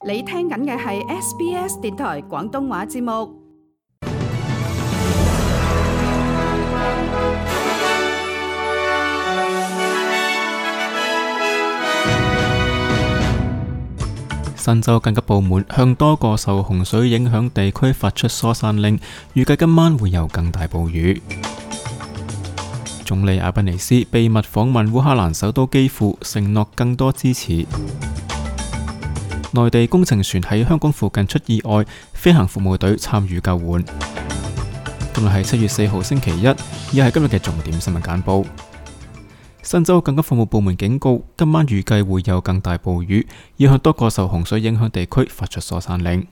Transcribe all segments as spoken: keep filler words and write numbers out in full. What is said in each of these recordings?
你聽緊嘅係 S B S 電台廣東話節目。新州緊急部門向多個受洪水影響地區發出疏散令，預計今晚會有更大暴雨。總理阿賓尼斯秘密訪問烏克蘭首都基輔，承諾更多支持。內地工程船喺香港附近出意外，飛行服務隊參與救援。今日係七月四號星期一，亦係今日嘅重點新聞簡報。新州緊急服務部門警告，今晚預計會有更大暴雨，要向多個受洪水影響地區發出疏散令。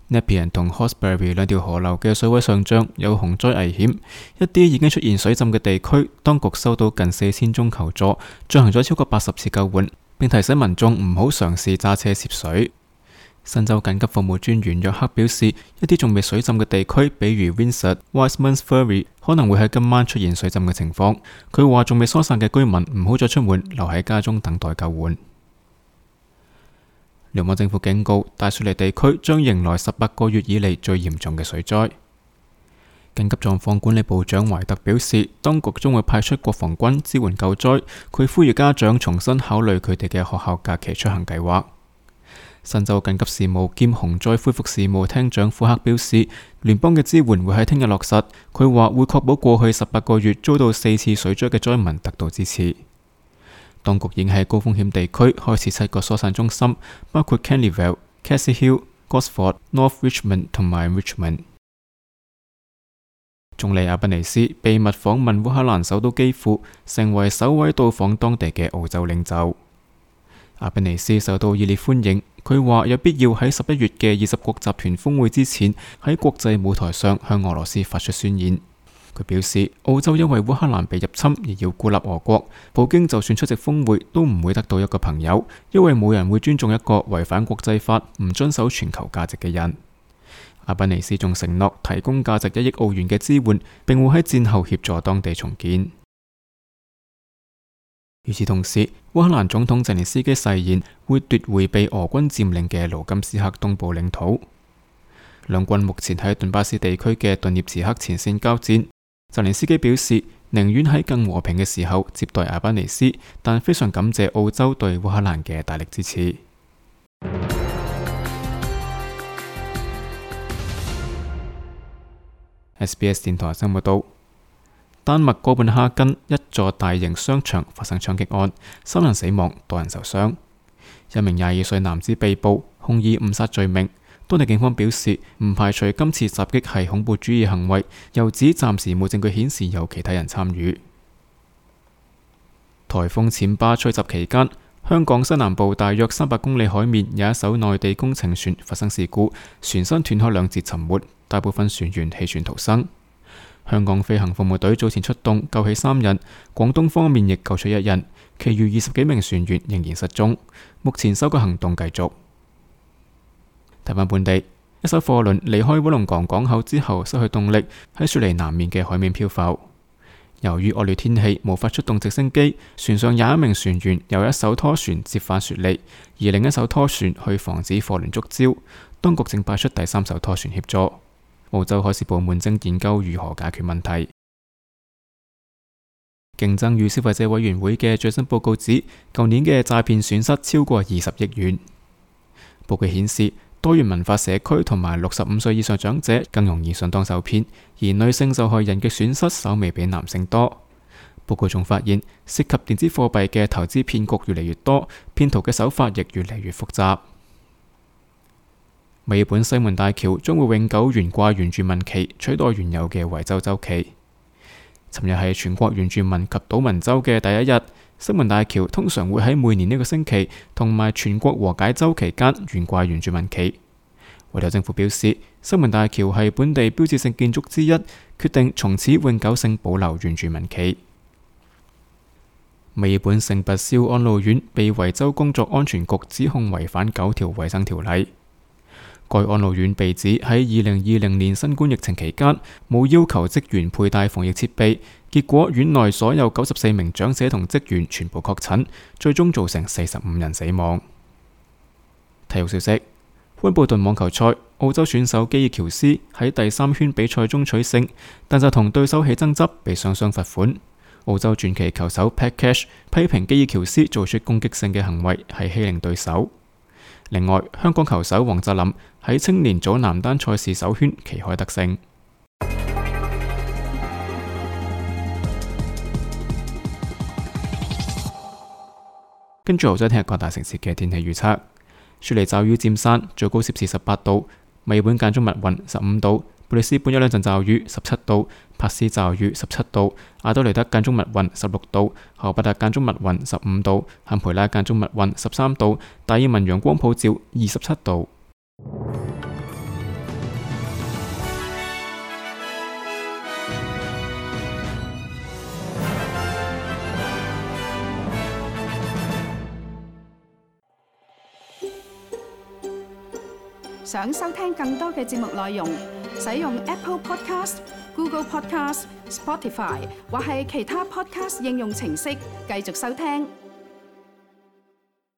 Nepean 同 Hawkesbury 兩條河流嘅水位上漲，有洪災危險。一啲已經出現水浸嘅地區，當局收到近四千宗求助，進行咗超過八十次救援，並提醒民眾唔好嘗試揸車涉水。新州緊急服務專員約克表示，一啲仲未水浸嘅地區，比如 Windsor、Wiseman's Ferry， 可能會喺今晚出現水浸嘅情況。佢話仲未疏散嘅居民唔好再出門，留喺家中等待救援。聯邦政府警告，大雪梨地區將迎來十八個月以嚟最嚴重嘅水災。緊急狀況管理部長懷特表示，當局將會派出國防軍支援救災。佢呼籲家長重新考慮佢哋嘅學校假期出行計劃。新州緊急事務兼洪災恢復事務廳長庫克表示，聯邦嘅支援會喺聽日落實。佢話會確保過去十八個月遭到四次水災嘅災民得到支持。當局已經喺高風險地區開設七個疏散中心，包括 Canleyvale、Cassie Hill、Gosford、North Richmond 同埋 Richmond。總理阿賓尼斯秘密訪問烏克蘭首都基輔，成為首位到訪當地嘅澳洲領袖。阿賓尼斯受到熱烈歡迎，佢話有必要喺十一月嘅二十國集團峰會之前喺國際舞台上向俄羅斯發出宣言。佢表示，澳洲因為烏克蘭被入侵而要孤立俄國，普京就算出席峰會都唔會得到一個朋友，因為冇人會尊重一個違反國際法、唔遵守全球價值嘅人。阿賓尼斯仲承諾提供價值一億澳元嘅支援，並會喺戰後協助當地重建。與此同時，烏克蘭總統澤連斯基誓言會奪回被俄軍佔領嘅盧甘斯克東部領土。兩軍目前喺頓巴斯地區嘅頓涅茨克前線交戰。澤連斯基表示，寧願喺更和平嘅時候接待阿賓尼斯，但非常感謝澳洲對烏克蘭嘅大力支持。S B S 電台新聞報道。丹麥哥本哈根一座大型商場發生槍擊案，三人死亡，多人受傷。一名廿二歲男子被捕，控以誤殺罪名。當地警方表示，唔排除今次襲擊係恐怖主義行為，又指暫時冇證據顯示有其他人參與。颱風暹芭吹襲期間，香港西南部大約三百公里海面有一艘內地工程船發生事故，船身斷開兩截沉沒，大部分船員棄船逃生。香港飛行服務隊早前出動救起三人，廣東方面亦救出一人，其餘二十幾名船員仍然失蹤。目前搜救行動繼續。睇返本地，一艘貨輪離開威龍港港口之後失去動力，喺雪梨南面嘅海面漂浮。由於惡劣天氣無法出動直升機，船上廿一名船員由一艘拖船接返雪梨，而另一艘拖船去防止貨輪觸礁。當局正派出第三艘拖船協助。澳洲海事部門正研究如何解決問題。競爭與消費者委員會嘅最新報告指，舊年嘅詐騙損失超過二十億元。報告顯示，多元文化社區同埋六十五歲以上長者更容易上當受騙，而女性受害人嘅損失稍微比男性多。報告仲發現，涉及電子貨幣嘅投資騙局越嚟越多，騙徒嘅手法亦越嚟越複雜。墨爾本西門大橋將會永久懸掛原住民旗，取代原有嘅維州州旗。尋日係全國原住民及島民週嘅第一日，西門大橋通常會喺每年呢個星期同埋全國和解週期間懸掛原住民旗。維州政府表示，西門大橋係本地標誌性建築之一，決定從此永久性保留原住民旗。墨爾本聖拔肖安老院被維州工作安全局指控違反九條衛生條例。該安老院被指喺二零二零年新冠疫情期間冇要求職員佩戴防疫設備，結果院內所有九十四名長者同職員全部確診，最終造成四十五人死亡。體育消息：溫布頓網球賽，澳洲選手基爾喬斯喺第三圈比賽中取勝，但就同對手起爭執，被雙雙罰款。澳洲傳奇球手 Pat Cash 批評基爾喬斯做出攻擊性嘅行為，係欺凌對手。另外，香港球手黃澤林喺青年組男單賽事首圈旗開得勝。跟住，我再聽日各大城市嘅天氣預測：雪梨驟雨佔山，最高攝氏十八度；墨爾本間中密雲，十五度；布里斯本一兩陣驟雨，十七度；珀斯驟雨，十七度；阿德雷德間中密雲，十六度；荷伯特間中密雲，十五度；坎培拉間中密雲，十三度；達爾文陽光普照，二十七度。想收聽更多嘅節目內容，使用 Apple Podcast、Google Podcast、Spotify 或係其他 Podcast 應用程式繼續收聽。